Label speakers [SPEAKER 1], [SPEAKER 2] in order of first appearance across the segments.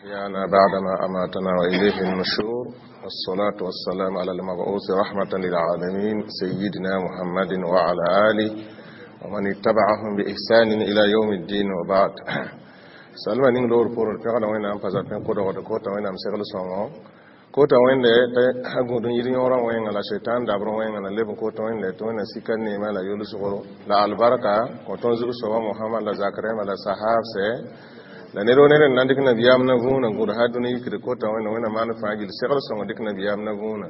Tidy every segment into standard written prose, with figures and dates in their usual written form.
[SPEAKER 1] أحيانا بعدما أماتنا وإليه النشور. والصلاة والسلام على المبعوث رحمة للعالمين سيدنا محمد وعلى آله ومن اتبعهم بإحسان إلى يوم الدين وبعد. Salma ning loor pʋʋr pẽgda Wẽnnaam pa zapẽ kodgd kota Wẽnnaam segl sõngo kota wẽnde t'a gũud n yir yõorã wẽnga la setan dabr wẽnga la leb n kota wẽnde tɩ Wẽnna sika neema la yolsgro la albarka kõ tõnd zug soaba Mohamad la zak rẽmba la sahabsɛ la ned wo ned n na n dɩk nabiyaam na võona gũud ha dũni yikd kota wẽnda Wẽnna maan fãa gill segl sõngo dɩk nabiyaam na võona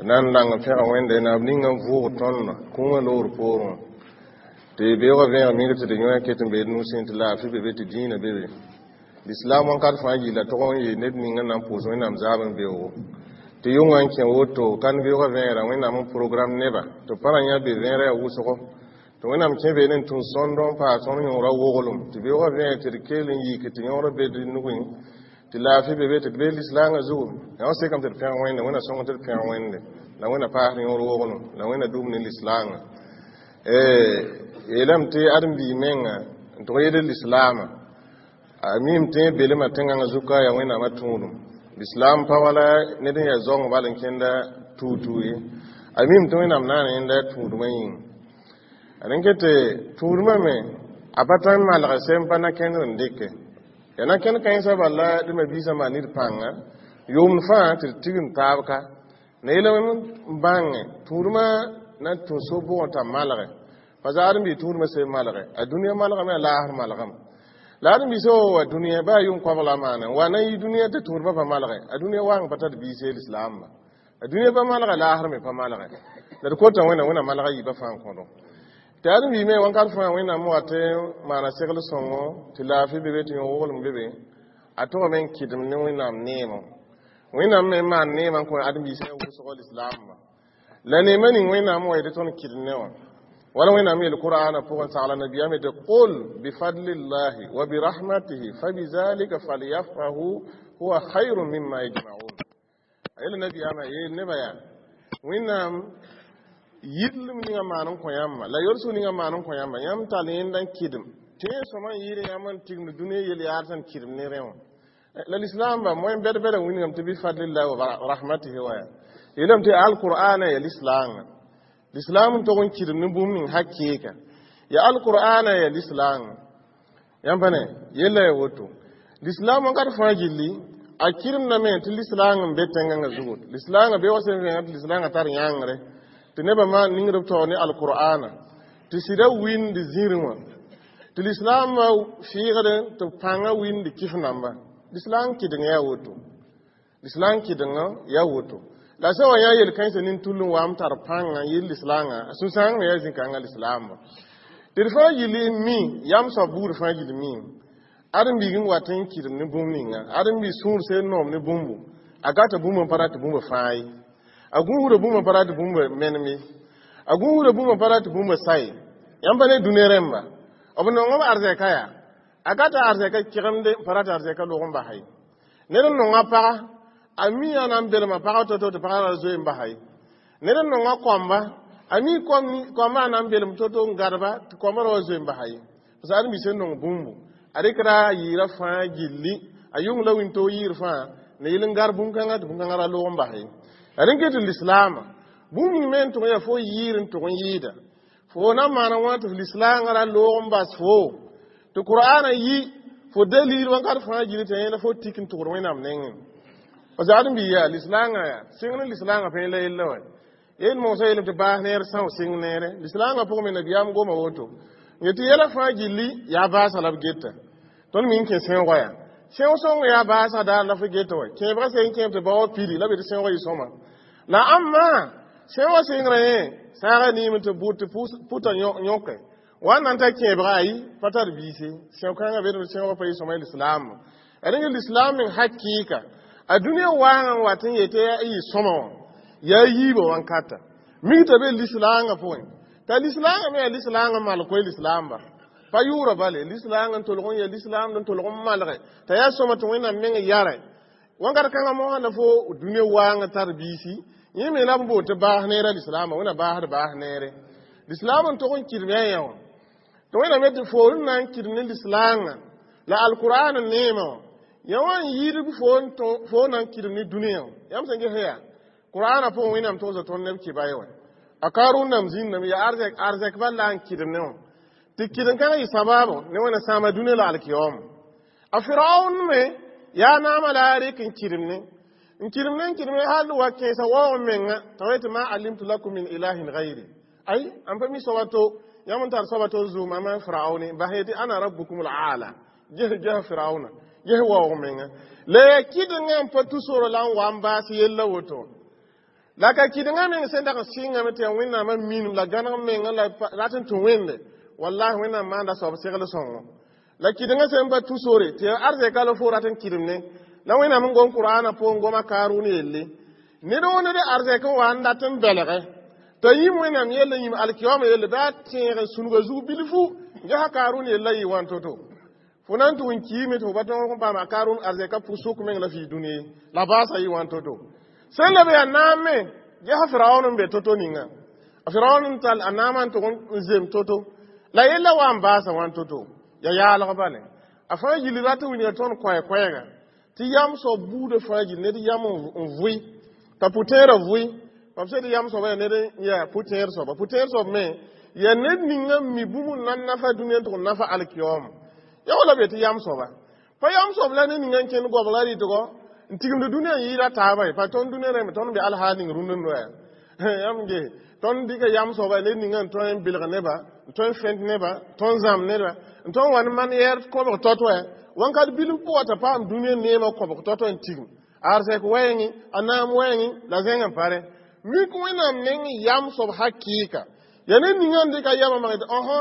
[SPEAKER 1] na n lang n pẽga Wẽnde naab ninga n vʋʋg tõnd kũumã loor poorẽ tɩ beoogã vẽeg mingr tɩ d yõe ket n bee nusẽ tɩ laafɩ be be tɩ dĩinã be be l'islam wãnkat fãa gilla tʋg n yee ned ning n na n pʋʋs Wẽnnaam zaab n beoogo tɩ yʋngã n kẽ woto kan beoogã vẽegra Wẽnnaam n program neba tɩ pa ra yã be vẽerã yaa wʋsgo tɩ Wẽnnaam kẽ be ne n tũ sõndo n paas tõnd yõorã woglem tɩ beoogã vẽeg tɩ d kell n yik tɩ yõorã be d nugẽ tɩ laafɩ be be tɩ d bee lislaangã zugu yã wã sekame tɩ d pẽg Wẽnde Wẽnna sõng tɩ d pẽg Wẽnde la Wẽnna paasd yõor woglem la Wẽnna dũm ne lislaangã yeelame tɩ ãdem-biig menga n tʋg yel lislaamã a mim tẽ belmã tẽngãngã zuka yaa Wẽnnaamã tũudum lislaam pa wala ned n yaa zaong bal n kẽnda tuutuu ye a mim tɩ Wẽnnaam naan yẽnda tũudmã yĩng a rẽn ket tɩ tũudmã me a pa tõe n malg sem pa na-kẽndr n dɩke yaa na-kẽnd kãensã bala d mabiisã maan nid pãnga yʋʋmd fãa tɩ d tigim taab ka na yeelame n bãnge tũudmã na n tũ so bʋgẽ t'a malge pa zaadem bɩ tũudmã sẽn malge a dũniyã malgame a laasr malgame la ãdem-biisã wa wa dũniyã baa yʋng koabg la a maana wa na n yi dũniyã tɩ tũudmã pa malge a dũniyã waang pa tar biise lislaamba a dũniyã pa malge laasr me pa malge la d kota Wẽnna Wẽnna malga yiibã fãa n kõdo tɩ ãdem-biig me wãnkat fãa Wẽnnaam wat n maana segl sõngo tɩ laafɩ be be tɩ yõ-woglem be be a togame n kɩdem ne Wẽnnaam neemã Wẽnnaam me n maan neemã n kõ ãdem-biisã wʋsgo lislaamba la neemã ning Wẽnnaam wa yetɩ tõnd kɩdem ne wã wala Wẽnnaam yel qur'ana pʋgẽ sagla nabiyaam tɩ qul bifadlillahi wa birahmatihi fabizalika falyafrahu huwa khayrun mimma yajma'un a yel nabiyaamã yeel nebã yaa Wẽnnaam yillem ninga maan n kõ yãmba la yolsg ninga maan n kõ yãmba yãmb tall yẽnda n kɩdem tẽeg sõma n yɩɩd yãmb n tigimd dũniyã yel yaad sẽn kɩdem ne rẽ wã la lislaamba moẽ bɛd-bɛda wĩnigame tɩ bifadlillahi wa rahmatihi wa ya yeelame tɩ alqur'ana ya lislaangã lislaam n tog n kɩdem ne bũmb ning hakɩɩka ya alqur'ana ya lislaangã yãmb pa ne yella ya woto lislaam wãnkat fãa gilli a kɩremdame tɩ lislaang n be tẽngãngã zugu lislaangã be wa sẽn vẽenga tɩ lislaangã tar yãngre tɩ nebã maan ningd b taoor ne alqur'ana tɩ sɩda wĩnd zĩrẽ wã tɩ lislaamã fɩɩgd tɩ pãngã wĩnd kɩf namba lislaam kɩdeng yaa woto lislaam kɩdengã yaa woto la sã wa yã yel-kãensã nin-tull n wa m tar pãngã n yɩl lislaangã a sũ-sãang me yaa zĩ-kãngã lislaamba tɩ d fãa gill n mi yam soab buud fãa gill mi ãdem-biig n wat n kɩdem ne bũmb ninga ãdem-biig sũur sẽn noom ne bũmbu a gata bũmb n pa rat bũmb fãa ye a gũusda bũmb n pa rat bũmb menem ye a gũusda bũmb n pa rat bũmb sa ye yãmb pa ne dũniyã rẽmba b nongem arzɛka yaa a gata arzɛka kɩgemde n pa rat arzɛka log n basa ye ned n nonga paga a mi yaa na n belma pagã to-to tɩ pagã ra zoe n basa ye ned n nonga koamba a mi koambã a na n belem to-to n gadba tɩ koambã ra wa zoe n basa ye parce que ãdem-biis sẽn nong bũmbu a rɩkda a yɩɩra fãa gilli a yʋng la wĩntoog yɩɩr fãa na yɩl n gar bũn-kãngã tɩ bũn-kãngã ra log n bas ye la rẽn ket tɩ lislaamã bũmb ning me n tʋg n yaa fo yɩɩr n tʋg n yɩɩda fo na n maana wã tɩ f lislaangã ra loog n bas fo tɩ qur'ana yi fo dalil wãnkat fãa gilli tɩ yẽla fo tik n tʋgd Wẽnnaam nengẽ parce que ãdem-biig yaa lislaangã yaa sɩng ne lislaangã pẽ la yella wa yel mosã yeelame tɩ baas neer são sɩng neere lislaangã pʋgẽ me nabiyaam goma woto n yetɩ yɛla fãa gilli yaa baasã la b geta tõnd mi n kẽ sẽoogã yaa sẽoog sõng yaa baasã daar la fo geta wa kẽebgã sẽn kẽeb tɩ bao pili la b yetɩ sẽoogã yɩ sõma la ãmba sẽoogã sɩngrã yẽ saaga niim tɩ bʋ tɩ pʋta yõke wa n na n ta kẽebga ayi pa tar biise sẽo-kãngã be sẽoogã pa yɩ sõma lislaam a rẽng lislaam meng hakɩɩka a dũniyã waangã n wat n yetɩ yɩ sõma wã yaa yiibã wãnkata migta be lislaangã pʋgẽ t'a lislaangã me yaa lislaangã malg koe lislaamba pa yʋʋra bale lislaangã n tolg n ya lislaamd n tolg n malge t'a yaa sõma tɩ Wẽnnaam meng yare wãnkat kãngã mosã la fo dũniyã waangã tar biisi yẽ me la b boon tɩ baas neerã lislaambã Wẽnna baasd baas neere lislaam n tog n kɩdem yaa yã wã tɩ Wẽnnaam yetɩ foor n na n kɩdem ne lislaangã la alqur'an neemã wã Ya wã n yɩɩd fo n na n kɩdem ne dũniyã. Yãmb sẽn ges yaa qur'aanã pʋgẽ, Wẽnnaam togsa tõnd neb kɩba ye wɛ. A Karun nam zĩndame yaa arzɛk bal la n kɩdem ne wã, tɩ kɩdem-kãngã yɩ sabaabo ne Wẽnna sãama dũniyã la alkiyooma. A Firaun me yaa naamã la a rɩk n kɩdem ne, n kɩdem ne, n kɩdem ne, hal wa kẽesa waoog menga t'a wa tɩ ma alimtu lakum min ilahin gayri. Ay, n pa mi soaba to, yãmb n tar soaba to zʋʋmame Firaune bas yetɩ ana rabbukum al-aala. Ges ges Firauna, ges waoog menga la yaa kɩdengã n pa tu soro la n wa n baas yella woto. La ka kɩdengã meng sẽn dag n sɩngame tɩ yaa Wẽnnaamã minim la gãneg menga la rat n tũ Wẽnde. Wallahi, Wẽnnaam maanda soab segl sõngo. La kɩdengã sẽn pa tu sore tɩ yaa arzɛka la fo rat n kɩdem ne la Wẽnnaam n gom Qur'aanã pʋgẽ, goma Karun yelle. Ned woo ned arzɛk n wa n dat n belge t'a yĩm Wẽnnaam yelle, yĩm alkiyooma yelle, bɩ a tẽeg n sũnga zug bilfu. Gesa Karun yella yɩ wãn to-to. Fo na n tʋg n kiime tɩ fo pa tõog n paam a Karun arzɛka pʋg-sʋk meng la fii dũni la baasa yɩ wãn to-to. Sẽn la be yaa naam me, gesa Firaun n be to-to ninga. A Firaun n tall a naamã n tʋg n zem to-to la yella wa n baasa wãn to-to, ya yaalg bale. A fãa yil rat n wilga tõnd koɛ-koɛɛga tɩ yam soab buudã fãa gil ned yam n vʋɩ t'a pʋtẽerã vʋɩ. Mam sẽd yam soaba yaa ned n yaa pʋtẽer soaba. Pʋtẽer soab me yaa ned ninga n mi bũmb n na n nafa dũniyã n tʋg n nafa alkiyooma. Ya wala be tɩ yam soaba pa yam soab la ned ninga n kẽnd goabga rɩtgɔ n tigimd dũniyã n yɩɩda taaba ye. Pa tõnd dũniyã rẽmbe, tõnd be alhaal ning rũndã noya. Yãmb ge tõnd dɩka yam soaba ned ninga n tõe n bilg neba, n tõe n fẽnt neba, tõe n zãmb neba, n tõe n wa ne man-yɛɛr kõbg tɔ-toɛ wãnkat bilf pʋga t'a paam dũniyã neemã kõbg tɔ-toɛ n tigim arzɛk wɛɛngẽ, a naam wɛɛngẽ la zẽng n pare mik. Wẽnnaam meng yam soab hakɩɩka yaa ned ninga n dɩka yamã mag tɩ ɔsã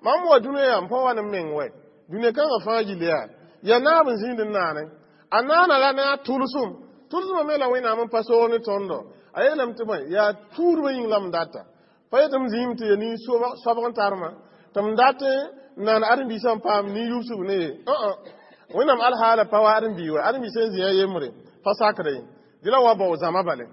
[SPEAKER 1] mam wa dũniyã yaa m pa wa ne m meng wɛ. Dũniyã kãngã fãa gill yaa naab n zĩnd n naane. A naana la ne a tʋlsem, tʋlsmã me la Wẽnnaam n pa soog ne tõndo. A yeelame tɩ bõe yaa tuudmã yĩng la m data pa yetɩ m zĩim tɩ ya nin-soabg n tarmã tɩ m dat n naan ãdem-biisã n paam nin-yubsg ne ye. Wẽnnaam alhaala pa wa ãdem-bii wa ãdem-bii sẽn zĩ a yembre pa sakre ye. Dɩ la wa bao zãma bale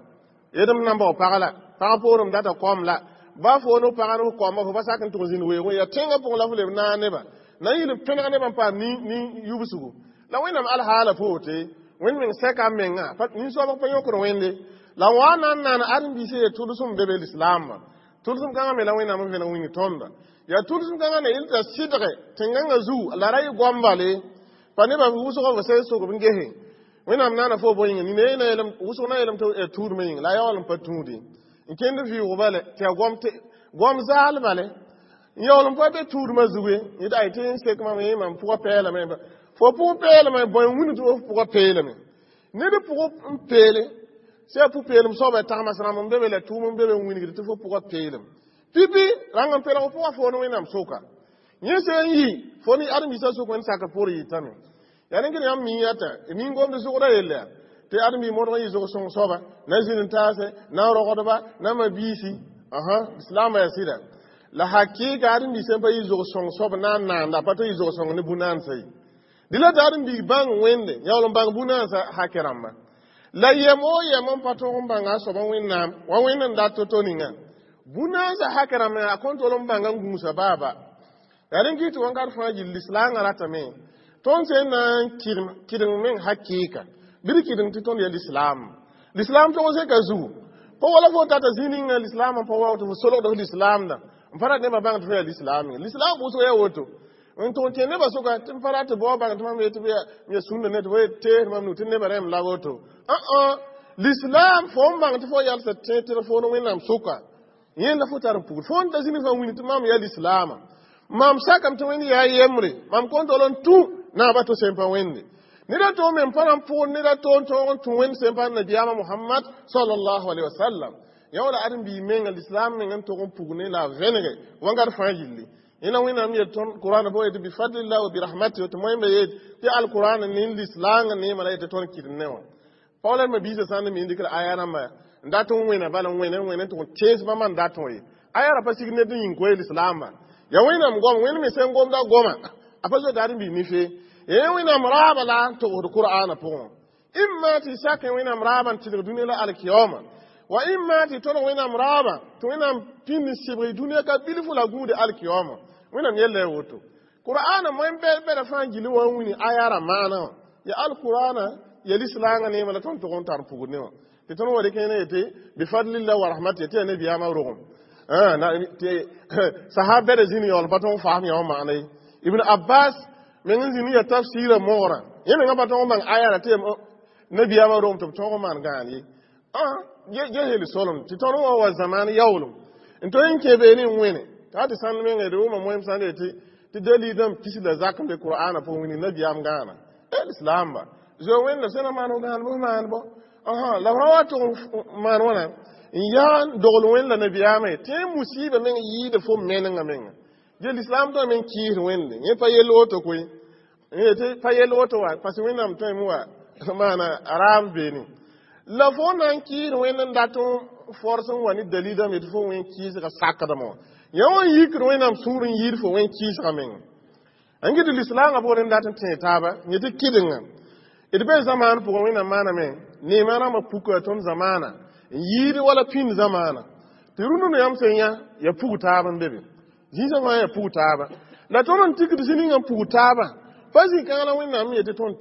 [SPEAKER 1] yedm na n bao pag la pag poorem data kom la ba fo no pag no kɔma fo pa sak n tʋg zĩnd weoogẽ yaa tẽngã pʋgẽ la fo leb naag nebã na n yɩl n pẽneg nebã n paam nin-yubsgo la Wẽnnaam alhaala poote. Wẽnd meng sɛka a menga nin-soabg pa yõkd Wẽnde la wa na n naan ãdem-biisã ye tʋlsem be be lislaambã. Tʋlsem kãngã me la Wẽnnaam n vẽneg wing tõnda. Yaa tʋlsem kãngã ne yel t'a sɩdge tẽn-gãngã zug la ra yɩ goambale pa nebã wʋsgã f sẽn sʋgb n gese. Wẽnnaam naana fo bõe yĩnga nina na yeelame wʋsg na yeelame tɩ tuudmã yĩnga la a yaool n pa tũudi n kẽnd vɩʋʋg bale tɩ yaa goam goam zaal bale n yaool n pa be tuudmã zugu ye. Yetɩ ay tɩ n sek mam yẽ mam pʋgã peelame. Fo pʋg peelame, bõe n wilg tɩ f pʋgã peelame? Ned pʋg n peele sã yaa pʋ-peelem soaba tagmas rãmb n be be la tʋʋm n be be n wilgd tɩ fo pʋgã peelem pipi rãng n pelg pʋgã fo ne Wẽnnaam soka. Yẽ sẽn yi fo ne ãdem-biisã sʋk Wẽnd sakr pʋgr yɩtame. Yaa rẽnd yãmb mi yata mi n gomd zʋgdã yella yaa tɩ ãdem-bi modg n yɩ zʋg sõng soaba na zĩnd n taase na n rogdba na ma biisi asa lislaambã yaa sɩda. La hakɩɩka ãdem-bi sẽn pa yɩ zʋg sõng soab na n naanda pa tɩ yɩ zʋg sõng ne bu-naansa ye. Dɩ la tɩ ãdem-bi bãng Wẽnde yaool n bãng bu-naansa hakɛ rãmba la yɛm o yɛm n pa tõog n bãnga a soaba Wẽnnaam wa Wẽnd n dat to-to ninga bu-naansa hakɛ rãmba a kõn tol n bãnga n gũusa baaba. Yaa rẽn kɩ tɩ wãnkat fãa gill lislaangã ratame tõnd sẽn na n kɩdeng meng hakɩɩka bɩ d kɩdeng tɩ tõnd yaa lislaam. Lislaam tog zẽka zugu pa wala fo tata zĩ ninga lislaam n pa wa tɩ fo solgd f lislaamda n pa rat nebã bãng tɩ fo yaa lislaam. Lislaam pʋʋsg yaa woto n tʋg n kẽ nebã sʋka tɩ m pa rat tɩ bao bãng tɩ mam yetɩ ya sũnda ne tɩ fo tees mam nu tɩ nebã rẽm la woto. Lislaam fo n bãng tɩ fo yalsa tẽ tɩ fo ne Wẽnnaam sʋka yẽnda fo tar n pugr fo n ta zĩni fãa wini tɩ mam yaa lislaama, mam sakame tɩ Wẽnd yaa yembre, mam kõn tol n tũ naaba to sẽn pa Wẽnde. Ned a to me n pa na n pʋgd ned a to n tõog n tũ Wẽnd sẽn pa nabiyaamã Mohamad sallallahu alaihi wasallam. Ya wala ãdem-bii menga lislaam meng n tog n pug ne la a vẽnege wãngat fãa gilli. Yẽna Wẽnnaam yel tõnd Qur'an pʋgẽ tɩ bifadlillah wa birahmati tɩ moẽmbe yet tɩ alqur'an ne lislaangã neemã la yetɩ tõnd kɩdem ne wã. Pa wala ma biisã sã n mi n dɩkr aya rãmba n dat n wẽna bala n wẽne n wẽne n tʋg n tees bãmba n dat wã ye. Aya ra pa sig ned n yĩng koe lislaambã ya Wẽnnaam goam. Wẽnd me sẽn gomda goma a pa zoeta ãdem-bii nife ye. Wẽnnaam raaba la n togsd Qur'aanã pʋgẽ, imma tɩ sak Wẽnnaam raabã n tɩlg dũniyã la alkiyaooma wa imma tɩ tõdg Wẽnnaam raabã tɩ Wẽnnaam pĩnd n sɩbg dũniyã ka bilfu la gũude alkiyaooma. Wẽnnaam yella ya woto Qur'aanã moẽ bɛda fãa gilli wã n wini aya ra maana wã. Ya alqur'ana ya lislaanga neema la tõnd tʋg n tar pugd ne wã tɩ tõnd wa rɩk ne yetɩ bifadlillah wa rahmatihi tɩ ya nabiyaamã rogem tɩ sahab bɛda zĩni yaool pa tõg n faasem yã wã maana ye. Ibn Abbas meng n zĩni ya tafsɩɩrã mogrã yẽ menga pa tõg n bãng aya la tɩ nabiyaamã rogem tɩ b tõg n maan gãan ye. Ge hel solem tɩ tõnd wã wa zamaan yaoolem n tõe n kẽ beene n wẽne t'a tɩ sãnd menga d wʋma moem sãn yetɩ tɩ dalil dãmb pis la zak n be qur'ana pʋgẽ wĩni nabiyaam gãana lislaam ba zoe wẽnda sẽn na maan f gãan bɩ f maan bɔ la f ra wa tʋg n maan wãna n yaa n dogl wẽnd la nabiyaamã ye tɩ musiba meng yɩɩda fo menengã menga. Ge lislaam tõe meng kɩɩsd wẽnde yẽ pa yell woto koe yetɩ pa yell woto wa parce wẽnnaam tõeme wa maana raab beene la fo na n kɩɩsd wẽnd n dat n fors n wa ne dalil dãmb yetɩ fo wẽn kɩɩsga sakdame wã yã wã n yikd wẽnnaam sũur n yɩɩd fo wẽn kɩɩsga menga. N gɩd lislaangã pʋgẽ n dat n tẽe taaba yetɩ kɩdenga d be zamaan pʋgẽ wẽnnaam maaname neemã rãmbã puka tõnd zamaana n yɩɩd wala pĩnd zamaana tɩ rũndũnã yãmb sẽn yã ya pug taab n be be zĩisã fãa ya pug taaba la tõnd n tikd zĩ ninga n pug taaba pa zĩ-kãng la wẽnnaam yetɩ tõnd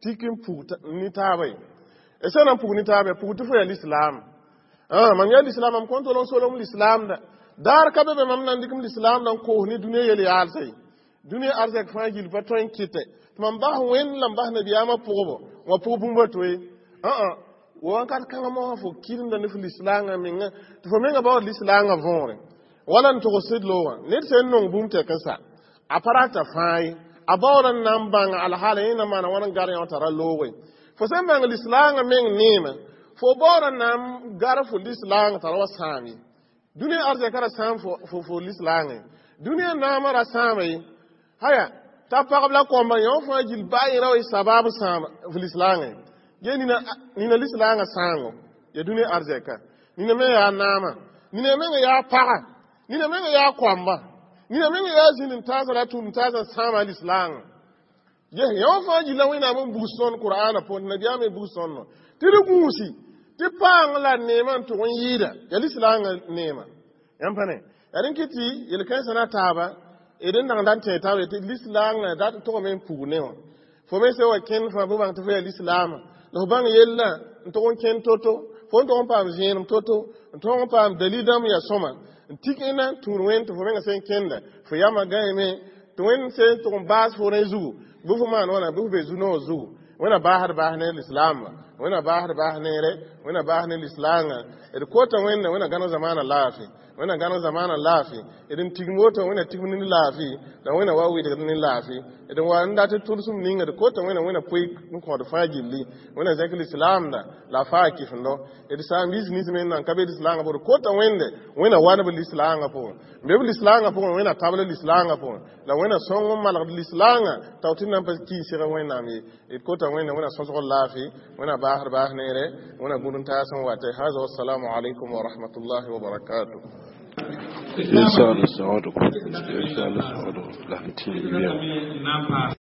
[SPEAKER 1] tik n pug ne taaba ye d sã na n pug ne taaba ya pug tɩ fo ya lislaam mam ya lislaam mam kõn tol n solem lislaamda daar ka be be mam na n dɩk m lislaamda n koos ne dũniyã yel yaalsa ye dũniyã arzɛk fãa gill pa tõe n kɩtɛ tɩ mam bas wẽnd la m bas nabiyaamã pʋgbo wã pʋg bũmb a to ye wakat kãngã mosã fo kɩremda ne f lislaangã menga tɩ fo menga baood lislaangã võore wala n togs sɩd loogã ned sẽn nong bũmb tɛk n sa a pa rata fãa ye a baood n na n bãng alhaala yẽ na maana wãn n gar yã tara looge fo sẽn bãng lislaangã meng neemã fo baood n na n gar fo lislaangã tara wa sãam ye dũniyã arzɛka ra sãam fo lislaangã ye dũniyã naamã ra sãama ye haya t'a pagb la kõmba yõ fãa gill baa yẽ ra wa y sabab sãam f lislaangã ye ge nina lislaangã sãango ya dũniyã arzɛka nina me yaa naamã nina menga yaa paga nina menga yaa koamba nina menga yaa zĩnd n taasã la tũud n taasã sãama lislaangã ye yõ fãa gilla wẽnnaam n bugs tõnd qur'ana pʋgẽ tɩ nabiyaam n bugs tõnd tɩ d gũusi tɩ paang la neemã n tʋg n yɩɩda ya lislaangã neema yãmb pa ne yaa rẽn kɩ tɩ yel-kãensã na taaba d n dag n tẽ taaba tɩ lislaangã dat tʋgame n pug ne wã fo me sẽn wa kẽnd fãa bɩ bãng tɩ fo yaa lislaamã la fo bãng yella n tʋg n kẽnd to-to fo n tʋg n paam zẽenem to-to n tʋg n paam dalil dãmb yaa sõma n tik ẽna n tũud wẽnd tɩ fo menga sẽn kẽnda fo yamã gãeme tɩ wẽnd sẽn tʋg n baas fo rẽ zugu bɩ fo maan wãna bɩ fo be zu-noog zugu wẽna baasd baas ne lislaamã wẽna baasd baas neere wẽna baas ne lislaangã d kota wẽnda wẽna gãneg zamaanã laafɩ wẽna gãneg zamaanã laafɩ d n tigim woto wẽna tigim ne laafɩ la wẽna wa wɩdgd ne laafɩ d n wa n dat tʋlsem ninga d kota wẽna wẽna poe n kõod fãa gilli wẽna zẽk lislaamda la a faa kɩfendo d saam-biis nins me n nan ka be lislaangã pʋgẽ d kota wẽnde wẽna wa ne b lislaangã pʋgẽ n be b lislaangã pʋgẽ wẽna tabl lislaangã pʋgẽ la wẽna sõng n malgd lislaangã tao tɩ nan pa kɩɩsg wẽnnaam ye d kota wẽnde wẽna sõsg laafɩ wẽna baasd baas neere wẽna gũud n taas n wate haza wassalamu alaikum wa rahmatullahi wa barakatuh.
[SPEAKER 2] Inshallah, inshallah, inshallah, inshallah.